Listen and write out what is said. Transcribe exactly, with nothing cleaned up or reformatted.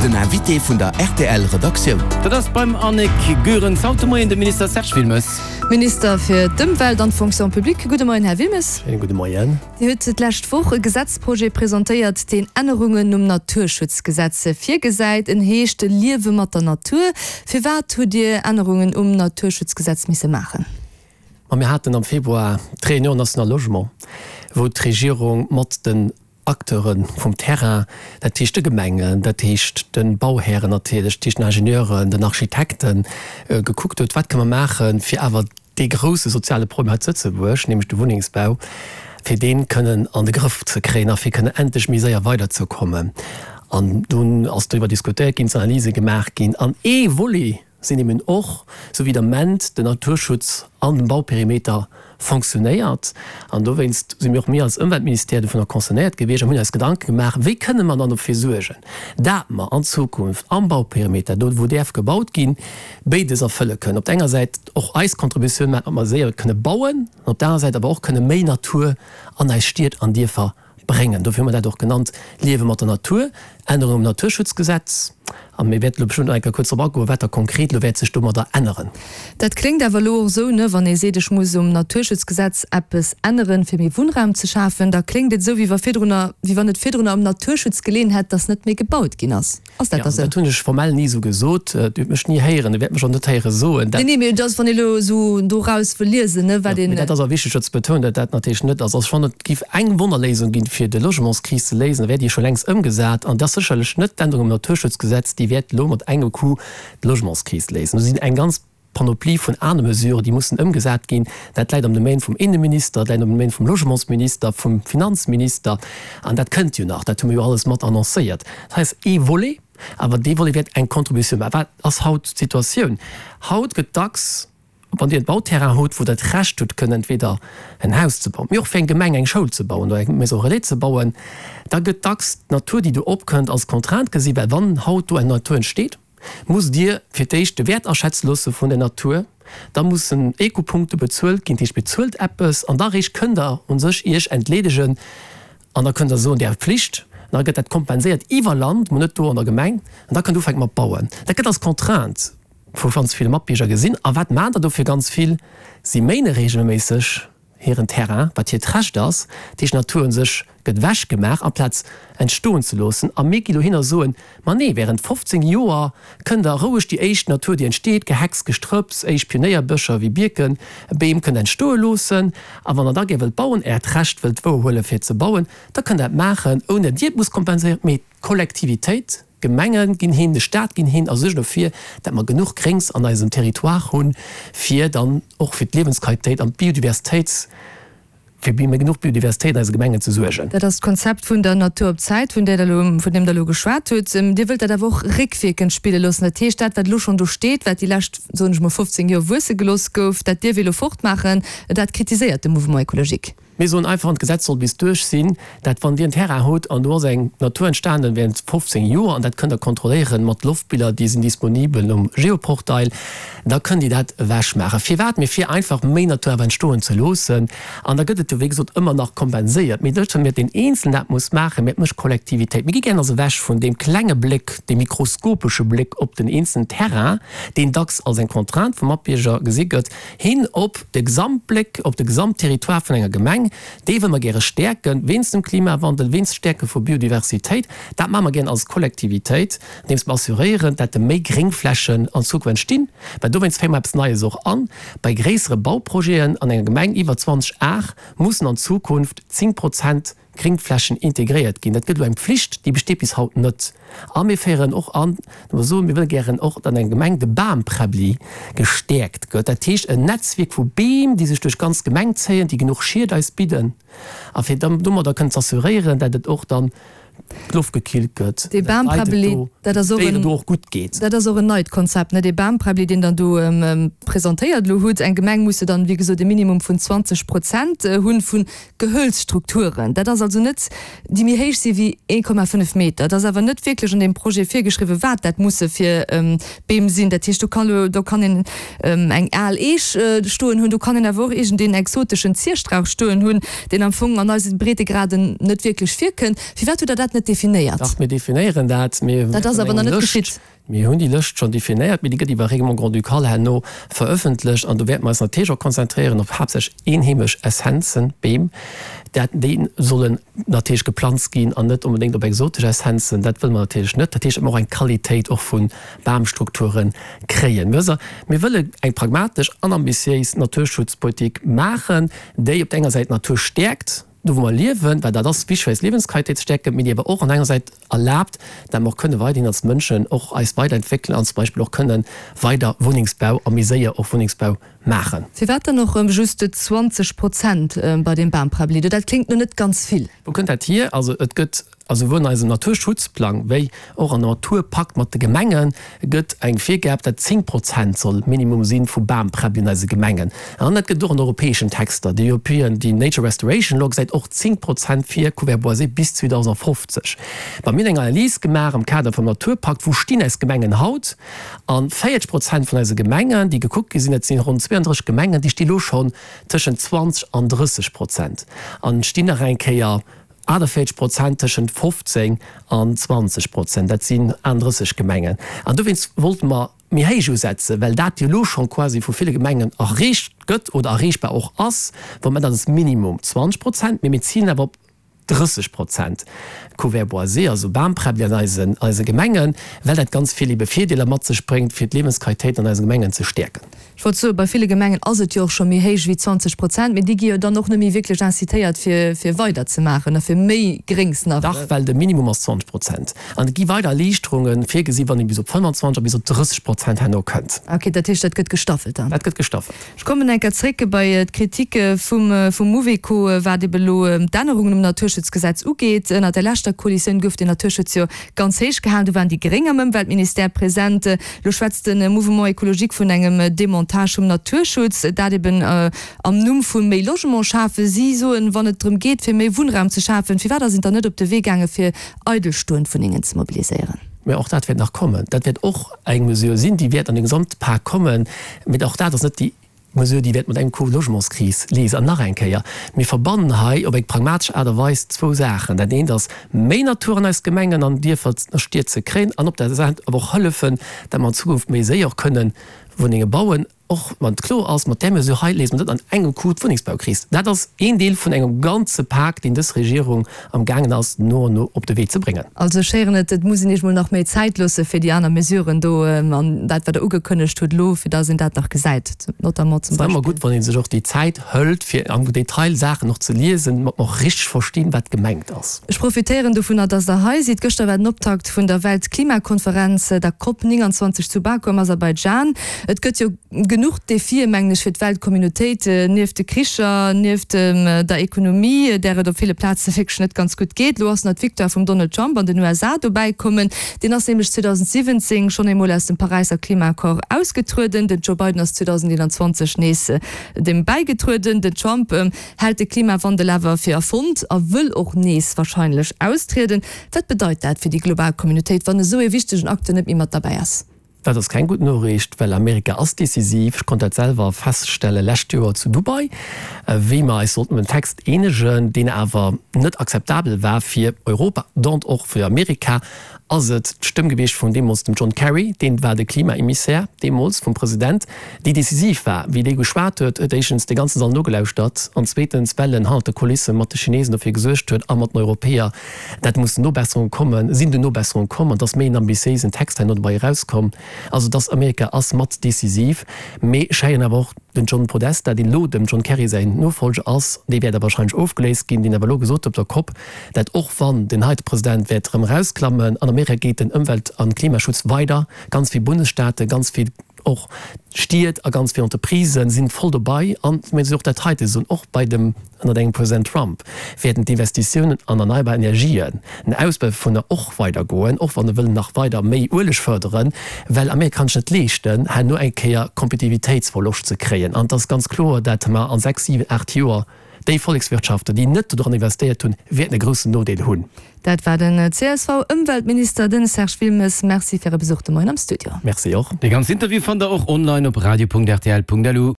Den Invité vun der R T L Redaktioun. Dat ass beim Annick Goerens haut de Moien de Minister Serge Wilmes. Minister fir d'Ëmwelt an d'Fonction publique. Gudde Moien, Här Wilmes. Schéine gudde Moien. Dir hutt d'lescht Woch e Gesetzprojet presentéiert, deen Ännerungen um Naturschutzgesetz virgesäit. En heescht Liewe mat der Natur. Firwat hutt Dir Ännerungen um Naturschutzgesetz misse maachen? Ma mir haten am Februar d'Réunion nationale logement, wou d'Regierung mat den Acteure vum Terrain, dat heescht de Gemengen, dat heescht de Bauhären natierlech, dat heescht den Ingenieuren, den Architekten, gekuckt huet, wat kënne mer maachen, fir awer dee grousse soziale Problem hei zu Lëtzebuerg, nämlech de Wunnengsbau, fir dee kënnen an de Grëff ze kréien a fir kënnen endlech méi séier weiderzekommen. An dunn ass doriwwer diskutéiert ginn, sinn Analyse gemaach ginn an ee Volet sinn eben och, sou wéi de Moment den Naturschutz an dem Bauperimeter fonctionnéiert. An dowéinst si mir och mir als Ëmweltministère dovunner concernéiert gewiescht an hunn eis Gedanke gemaach, wéi kënne mer dann dofir suergen, dat mer an Zukunft am Bauperimeter, do wou däerf gebaut ginn, béides erfëlle kënnen, op der enger Säit och eis Contributioun maachen, datt mer séier kënne bauen, an op der anerer Säit awer och kënne méi Natur an eis Stied an Dierfer bréngen. Dofir hu mer dat och genannt, Liewe mat der Natur, Ännerung um Naturschutzgesetz. A mir wäerten elo bestëmmt nach eng Kéier kuerz drop agoen, wat da konkret elo wäert sech domadder änneren. Dat kléngt awer elo och esou, ne, wann ee seet, ech muss um Naturschutzgesetz eppes änneren, fir méi Wunnraum ze schafen, da kléngt et esou, wéi wa virdrunner, wéi wann et virdrunner um Naturschutz geleeën hätt, dass net méi gebaut ginn ass. Ass dat da esou? Dat hunn ech formell ni esou gesot. Dir hutt mech ni héieren, Dir wäert mech och net héiere soen, dat. Nee, nee, mee et ass, wann ee elo esou doraus wëll liesen, ne, wat een. Mee dat ass awer wichteg do ze betounen, datt dat natierlech net ass. Also wann et géif eng Wonnerléisung ginn, fir de Logementskris ze léisen, da wär déi scho längst ëmgesat. An dat ass sécherlech net d'Ännerung um Naturschutzgesetz, déi wäert elo mat engem Coup d'Logementskris léisen. Do sinn eng ganz Panoplie vun anere Mesuren, déi mussen ëmgesat ginn. Dat läit am Domaine vum Inneminister, dat läit am Domaine vum Logementsminister, vum Finanzminister. An dat kënnt jo nach, dat hu mir jo alles mat annoncéiert. Dat hei ass ee Volet, awer dee Volet wäert eng Contributioun maachen. Wat ass haut d'Situatioun? Haut gëtt dacks, wann Dir e Bauterrain hutt, wou Der d'Recht hutt, kënnen entweder en Haus ze bauen, mee och fir eng Gemeng eng Schoul ze bauen oder eng Maison relais ze bauen, da gëtt dacks d'Natur, déi do opkënnt, als Contrainte gesi well wann haut do eng Natur entsteet, musst Dir fir d'éischt de Wäert aschätze loosse vun der Natur, da mussen Ecopunkte bezuelt ginn, dat heescht bezuelt eppes an da eréischt kënnt Der u sech Iech entleedegen an da kënnt Der soen, Dir hat Pflicht an da gëtt dat kompenséiert iwwer Land, mä net do an der Gemeng an da kënnt Der ufänke mat bauen. Dat gëtt als Contrainte vu ganz ville Matbierger gesinn. A wat maachen der dofir ganz vill? Si méine reegelméisseg hiren Terrain, wat hiert Recht ass. Dat heescht, d'Natur u sech gëtt ewechgemaach, amplaz entstoen ze loossen. A mir gi lo hin a soen, Ma nee, wärend fofzéng Joer kënnt der roueg déi éischt Natur, déi entsteet, Gehecks, Gestrëpps, éischt Pionéierbecher wéi Bierken, Beem, kënnt entstoe loossen. A wann der da gär wëllt bauen, Äert Recht wëllt wouerhuelen, fir ze bauen, da kënnt Der dat maachen, ouni datt Dir et musst kompenséieren, mee d'Kollektivitéit. D'Gemenge ginn hin, de Staat ginn hin a suergen dofir, dat mer genuch Gréngs an eisem Territoire hunn, fir dann och fir d'Liewensqualitéit an d'Biodiversitéits, fir méi genuch Biodiversitéit an eise Gemengen ze suergen. Dat ass d'Konzept vun der Natur op Zäit, vun där Der elo, vun deem Der elo geschwat hutt. Dir wëllt dat awer och réckwierkend spille loossen. Dat heescht, dat, wat elo schonn do steet, wat déi lescht, soen ech mol, fofzéng Joer wuesse gelooss gouf, dat dierf ee elo fortmaachen. Dat kritiséiert de Mouvement écologique. Mir soen einfach, an d'Gesetz soll bis duerch sinn, dat wann Dir en Terrain hutt an do ass eng Natur entstanen während fofzéng Joer, an dat kënnt Der kontrolléieren mat Loftbiller, déi sinn disponibel um Geoportail, da kënnt Dir dat ewechmaachen. Firwat? Mee fir einfach méi Natur awer entstoen ze loossen. An da gëtt et jo wéi gesot ëmmer nach kompenséiert. Mee net well deen Eenzelen dat muss maachen, mee et mécht d'Kollektivitéit. Mir gi gären also ewech vun deem klenge Bléck, deem mikroskopesche Bléck op den eenzelen Terrain, deen dacks als eng Contrainte vu Matbierger gesi gëtt, hin op de Gesamtbléck, op de Gesamtterritoire vun enger Gemeng. Déi wëlle mer gäre stäerken, wéinst dem Klimawandel, wéinst Stäerke vu Biodiversitéit. Dat maache mer gären als Kollektivitéit, andeems mer assuréieren, dat de méi Gréngflächen an Zukunft entstinn, well dowéinst féiere mer eppes Neies och an, Bei gréissere Bauprojeten an enger Gemeng iwwer zwanzeg Ar mussen an Zukunft zéng Prozent Gréngflächen integréiert ginn. Dat gëtt elo eng Pflicht, déi besteet bis haut net. A mir féieren och an, datt mer soen, mir wëlle gären och, datt an enger Gemeng de Bamprebbli gestäerkt gëtt. Dat heescht en Netzwierk vu Beem, déi sech duerch d'ganz Gemeng zéien, déi genuch Schied eis bidden a fir dann domadder kënnen z'assuréieren, datt et och dann d'Loft gekillt gëtt, Dee datt d'Leit et Bamprebbeli, do, dat ass och d'Déieren en, do och gutt geet. dat ass och en neit Konzept, ne? Dee Bamprebbeli, deen Der do presentéiert elo hutt. Eng Gemeng muss jo dann, wéi gesot, e Minimum vun zwanzeg Prozent hunn vu Gehölzstrukturen. Dat ass also net, déi méi héich si wéi ee Komma fënnef Meter. Et ass awer net wierklech an deem Projet virgeschriwwen, wat dat musse fir Beem sinn. Dat heescht, do kann elo, do kann een eng al Eech stoen hunn, do kann een awer och iergendeen exoteschen Zierstrauch stoen hunn, deen am Fong an eise Breetegraden net wierklech virkënnt. Firwat hutt Der dat dat net definéiert. Dach, mir definéieren dat. Mir Dat ass hunn awer nach eng net Lëscht. geschitt. Mir hunn déi Lëscht schonn definéiert, mee déi gëtt iwwer Règlement grand-ducal herno verëffentlecht. An do wäerte mer eis natierlech och konzentréieren op haaptsächlech eenheemesch Essenzen, Beem, dat déi sollen natierlech geplanzt ginn an net onbedéngt op exotesch Essenzen. Dat wëlle mer natierlech net. Dat heescht, datt mer och eng Qualitéit och vu Bamstrukture kréien. Mir mir wëlle eng pragmatesch an ambitiéis Naturschutzpolitik maachen, déi op der enger Säit d'Natur stäerkt, do wou mer liewen, well dat ass wichteg fir eis Liewensqualitéit ze stäerken, mee déi awer och an enger Säit erlaabt, dat mer och kënne weiderhin als Mënschen och eis weiderentwéckelen an zum Beispill och kënne weider Wunnengsbau a méi séier och Wunnengsbau maachen. Firwat dann och just zwanzeg Prozent bei deem Bamprabbeli? Dat kléngt no net ganz vill. Wou kënnt dat hier? Also et gëtt a souwuel an eisem Naturschutzplang wéi och an dem Naturpakt mat de Gemenge gëtt eng Virgab, dat zéng Prozent soll Minimum si vu Bamprabbeli an eise Gemengen. An dat gëtt och an europäeschen Texter, déi European, déi Nature Restoration Law gesäit och zéng Prozent vir Couvert boisé bis zweedausendfofzeg. Mä mir hunn eng Analys gemaach am Kader vum Naturpakt, wou stinn eis Gemengen haut? A véierzeg Prozent vun eise Gemengen, déi gekuckt gi sinn, dat sinn ronn zweeëndrësseg Gemengen, déi sti lo schonn tëschent zwanzeg an drësseg Prozent an stinn nach eng Kéier achtundvéierzeg Prozent tëschent fofzéng an zwanzeg Prozent. Dat sinn achtundrësseg Gemengen. An dowéinst wollte mer méi héich usetzen, well dat jo elo schonn quasi vu ville Gemengen erreecht gëtt oder erreechbar och ass, wou mer dat als Minimum zwanzeg Prozent, mee mir zilen awer op drësseg Prozent Couvert boisé, also Bamprabbeli an eisen, eise Gemengen, well dat ganz vill ebe Virdeeler mat sech bréngt, fir d'Liewensqualitéit an eise Gemengen ze stäerken. Ech wollt soen, bei ville Gemengen ass et jo och scho méi héich wéi zwanzeg Prozent, mee déi gi jo dann och net méi wierklech incitéiert, fir, fir weiderzemaachen a fir méi Gréngs nach. Dach, well de Minimum ass zwanzeg Prozent. An et gi weider Erliichterunge virgesi wann ee bis op fënnwanzwanzeg a bis op drësseg Prozent herno kënnt. Ok, dat heescht, dat gëtt gestaffelt dann? Dat gëtt gestaffelt. Ech kommen eng Kéier zréck bei d'Kriticke vum, vum Mouveco, wat ebe elo d'Ännerungen um Naturschutzgesetz ugeet. Ënnert der leschter Koalitioun gouf den Naturschutz jo ganz héich gehalen. Do waren déi Gréng am Ëmweltministère present. Elo schwätzt de Mouvement écologique vun engem Demontage vum Naturschutz, dat eben am Numm vu méi Logement schafen. Si soen, wann et drëm geet, fir méi Wunnraum ze schafen, firwat ass een dann net op de Wee gaange fir eidelstoend Wunnengen ze mobiliséieren? Mä och dat wäert nach kommen. Dat wäert och eng Mesure sinn, déi wäert an de Gesamtpak kommen. Mä och dat ass net déi Mesure, déi wäert mat engem Coup d'Logementskris léisen. An nach eng Kéier, mir verbannen hei op eng pragmatesch Aart a Weis zwou Saachen. Dat eent ass, méi Natur an eis Gemengen an Dierfer a Stied ze kréien an op der Säit awer och hëllefen, datt mer an Zukunft méi séier och kënnen Wunnenge bauen. Och wann et kloer ass, mat där Mesure hei léise mer net an engem Coup d'Wunnengsbaukris. Dat ass een Deel vun engem ganze Pak, deen dës Regierung am gaangen ass, no an no op de Wee ze bréngen. Also ech héieren et, et muss een Iech mol nach méi Zäit loosse fir déi aner Mesuren do an dat, wat Der ugekënnegt hutt elo, fir datt een dat nach gesäit, notamment zum Et ass ëmmer Beispill. gutt, wann ee sech och déi Zäit hëlt, fir am Detail Saachen och ze liesen, datt mer och richteg verstinn, wat gemengt ass. Ech profitéieren dovunner, datt Der hei sidd. Gëschter war den Optakt vun der Weltklimakonferenz, der Cop neunundzwanzig zu Baku am Aserbaidschan. Et gëtt jo genuch Defien, mengen ech, fir d'Weltcommunautéit, nieft de Kricher, nieft der Ekonomie, där et op ville Plaze wierklech net ganz gutt geet. Elo ass nach d'Victoire vum Donald Trump an den U S A dobäi kommen. Deen ass nämlech zweedausendsiwwenzéng schonn eemol aus dem Paräisser Klimaaccord ausgetrueden. Den Joe Biden ass zweedausendeenanzwanzeg nees deem bäigetrueden. Den Trump hält de Klimawandel awer fir erfonnt a wëll och nees warscheinlech austrieden. Wat bedeit dat fir déi global Communautéit, wann esou ee wichtegen Acteur net méi mat derbäi ass? Dat ass keng gutt Noriicht, well Amerika ass decisiv. Ech konnt dat selwer feststelle lescht Joer zu Dubai, wéi mer eis sollten op en Text eenegen, deen awer net akzeptabel war fir Europa, dont och fir Amerika, ass et d'Stëmm gewiescht vun deemools dem John Kerry, deen war de Klimaemissär deemools vum President, déi decisiv war. Wéi dee geschwat huet, huet éischtens de ganze Sall nogelauschtert an zweetens, well en hannert de Kulisse mat de Chinesen dofir gesuergt huet a mat den Europäer, dat mussen Nobesserunge kommen, sinn dunn Nobesserunge komm an et ass méi en ambitiéisen Text herno dobäi erauskomm. Also dass Amerika ass mat decisiv, mee ech héieren awer och den John Podesta, deen elo dem John Kerry säin Nofolger ass, dee wäert awer wahrscheinlech ofgeléist ginn, deen awer elo gesot huet op der Cop, dat och wann den heite President wäert erëm erausklammen, an Amerika geet den Ëmwelt a Klimaschutz weider, ganz vill Bundesstaaten, ganz vill och Stied a ganz vill Entreprisen sinn voll dobei. An mir si och dat heite soen, och bei dem, ënnert engem President Trump wäerten d'Investitiounen an erneierbar Energien, den Ausbau dovunner och weider goen, och wann e wëll nach weider méi Ueleg fërderen, well Amerika kann sech net leeschten, herno eng Kéier Kompetitivitéitsverloscht ze kréien. An et ass ganz kloer, dat mer an sechs, siwen, aacht Joer déi Vollekswirtschaften, déi net dodran investéiert hunn, wäerten e groussen Nodeel hunn. Dat war den C S V-Ëmweltminister, den Serge Wilmes. Merci fir Äre Besuch de Moien am Studio. Merci och. Dee ganzen Interview fannt der och online op radio punkt rtl punkt lu.